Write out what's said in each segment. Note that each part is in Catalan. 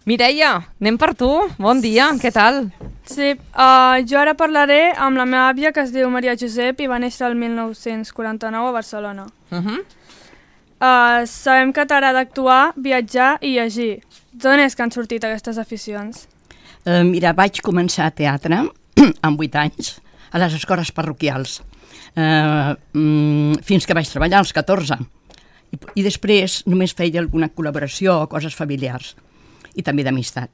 Mireia, anem per tu. Bon dia, què tal? Sí, jo ara parlaré amb la meva àvia, que es diu Maria Josep i va néixer el 1949 a Barcelona. Sabem que t'agrada actuar, viatjar i llegir. D'on és que han sortit aquestes aficions? Mira, vaig començar teatre amb 8 anys a les escoles parroquials, fins que vaig treballar als 14. I després només feia alguna col·laboració o coses familiars, i també d'amistat.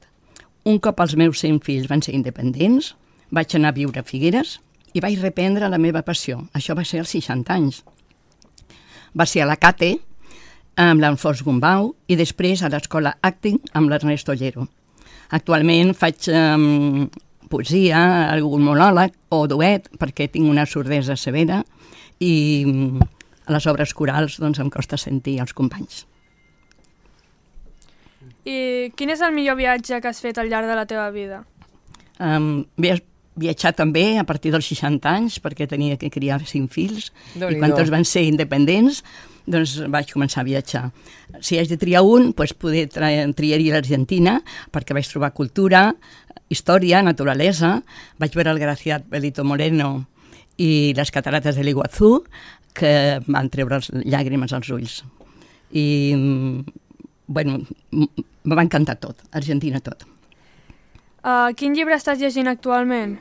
Un cop els meus 5 fills van ser independents, vaig anar a viure a Figueres i vaig reprendre la meva passió. Això va ser als 60 anys. Va ser a la CATE, amb l'Alfons Gombau, i després a l'escola Acting amb l'Ernest Ollero. Actualment faig poesia, algun monòleg o duet, perquè tinc una sordesa severa, i a les obres corals doncs, em costa sentir els companys. I quin és el millor viatge que has fet al llarg de la teva vida? Viatjar també a partir dels 60 anys, perquè tenia que criar 5 fills, i quan tots van ser independents, doncs vaig començar a viatjar. Si haig de triar un, doncs triaria l'Argentina, perquè vaig trobar cultura, història, naturalesa. Vaig veure el Graciat Belito Moreno i les catarates de l'Iguazú, que van treure les llàgrimes als ulls. I, bueno, me va encantar tot, Argentina tot. Quin llibre estàs llegint actualment?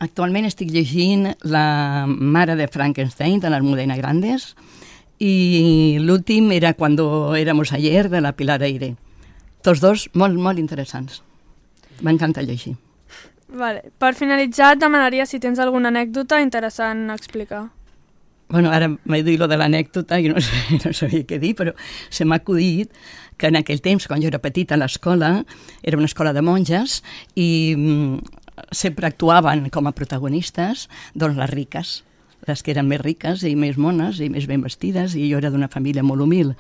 Actualment estic llegint La mare de Frankenstein, de l'Almudena Grandes, i l'últim era Cuando éramos ayer, de la Pilar Eire. Tots dos molt, molt interessants. M'encanta llegir. Vale. Per finalitzar, et demanaria si tens alguna anècdota interessant a explicar. Bueno, ara m'he dit lo de l'anècdota i no sabia què dir, però se m'ha acudit que en aquell temps, quan jo era petita a l'escola, era una escola de monges i sempre actuaven com a protagonistes doncs les riques, les que eren més riques i més mones i més ben vestides, i jo era d'una família molt humil,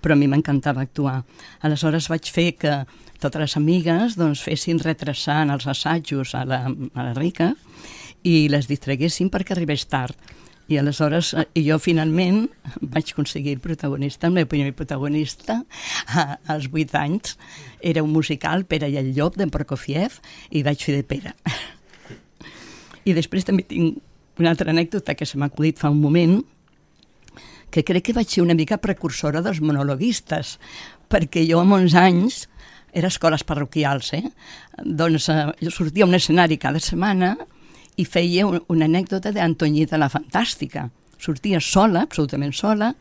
però a mi m'encantava actuar. Aleshores vaig fer que totes les amigues doncs, fessin retrasant els assajos a la rica i les distraguessin perquè arribés tard. I aleshores jo finalment vaig aconseguir el protagonista, el meu primer protagonista, als 8 anys. Era un musical, Pere i el llop, d'en Prokofiev, i vaig fer de Pere. I després també tinc una altra anècdota que se m'ha acudit fa un moment, que crec que vaig ser una mica precursora dels monologuistes, perquè jo amb 11 anys era a escoles parroquials, doncs jo sortia a un escenari cada setmana i feia una anècdota d'Antoñita la Fantàstica. Sortia sola, absolutament sola,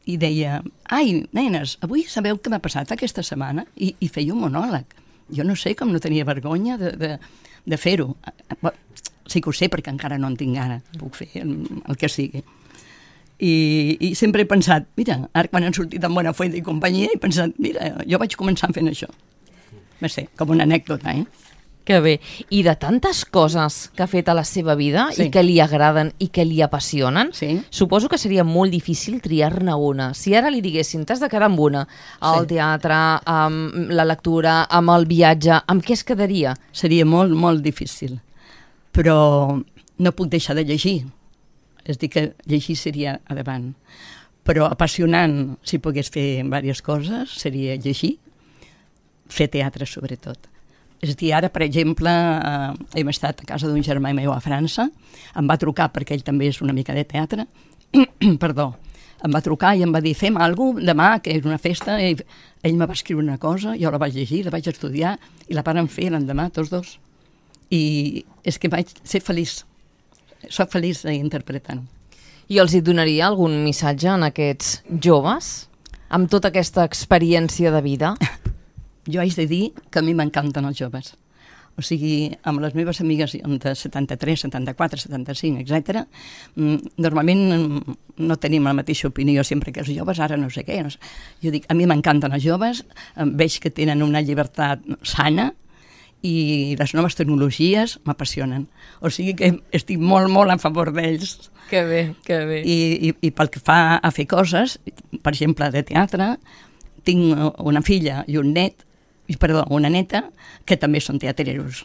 i deia, ai, nenes, avui sabeu què m'ha passat aquesta setmana? I feia un monòleg. Jo no sé com no tenia vergonya de fer-ho. Sí que ho sé, perquè encara no en tinc gana, puc fer el que sigui. I sempre he pensat, mira, ara quan han sortit en Buenafuente i companyia, he pensat, mira, jo vaig començar fent això. Va ser com una anècdota, Que bé. I de tantes coses que ha fet a la seva vida i que li agraden i que li apassionen, suposo que seria molt difícil triar-ne una. Si ara li diguessin, t'has de quedar amb una, el teatre, amb la lectura, amb el viatge, amb què es quedaria? Seria molt, molt difícil. Però no puc deixar de llegir. És dir, que llegir seria a davant. Però apassionant, si pogués fer diverses coses, seria llegir, fer teatre sobretot. És a dir, ara, per exemple, hem estat a casa d'un germà meu a França, em va trucar, perquè ell també és una mica de teatre, perdó, em va trucar i em va dir, fem alguna cosa demà, que és una festa, i ell me va escriure una cosa, jo la vaig llegir, la vaig estudiar, i la vàrem fer l'endemà, tots dos. I és que vaig ser feliç, soc feliç interpretant. I els hi donaria algun missatge a aquests joves, amb tota aquesta experiència de vida? Jo haig de dir que a mi m'encanten els joves. O sigui, amb les meves amigues de 73, 74, 75, etc., normalment no tenim la mateixa opinió sempre que els joves, ara no sé què. No sé. Jo dic, a mi m'encanten els joves, veig que tenen una llibertat sana i les noves tecnologies m'apassionen. O sigui que estic molt, molt a favor d'ells. Que bé, que bé. I pel que fa a fer coses, per exemple, de teatre, tinc una filla i un net, una neta, que també són teatreros.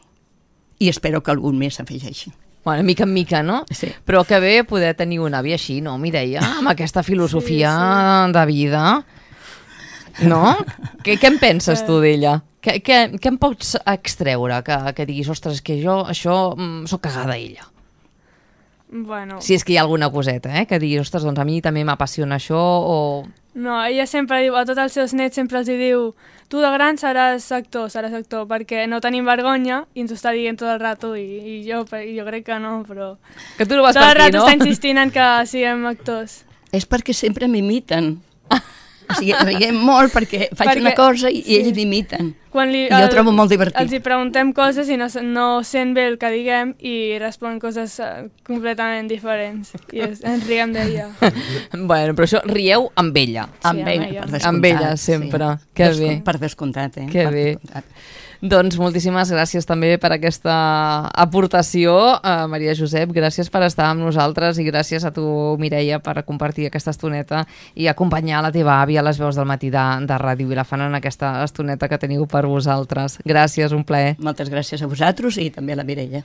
I espero que algun més s'afegeixi. Bueno, mica en mica, no? Sí. Però que bé poder tenir un avi així, no, Mireia? Amb aquesta filosofia de vida. No? Què en penses tu d'ella? Què em pots extreure? Que diguis, ostres, que jo això sóc cagada a ella. Bueno... Si és que hi ha alguna coseta, que diguis, ostres, doncs a mi també m'apassiona això o... No, ella sempre diu, a tots els seus nets sempre els diu tu de gran seràs actor, perquè no tenim vergonya i ens ho està dient tot el rato i jo crec que no, però... Que tu no vas per aquí, no? Tot el rato està insistint en que siguem actors. És perquè sempre m'imiten. O sigui, riguem molt perquè faig una cosa i ells m'imiten. I jo ho trobo molt divertit. Els hi preguntem coses i no sent bé el que diguem i respon coses completament diferents. I ens riguem d'ella. Bueno, però això rieu amb ella. Sí, amb ella, per descomptat. Amb ella, sempre. Sí. Que bé. Per descomptat, Que bé. Doncs moltíssimes gràcies també per aquesta aportació, Maria Josep. Gràcies per estar amb nosaltres i gràcies a tu, Mireia, per compartir aquesta estoneta i acompanyar la teva àvia a les veus del matí de Ràdio Vilafant en aquesta estoneta que teniu per vosaltres. Gràcies, un plaer. Moltes gràcies a vosaltres i també a la Mireia.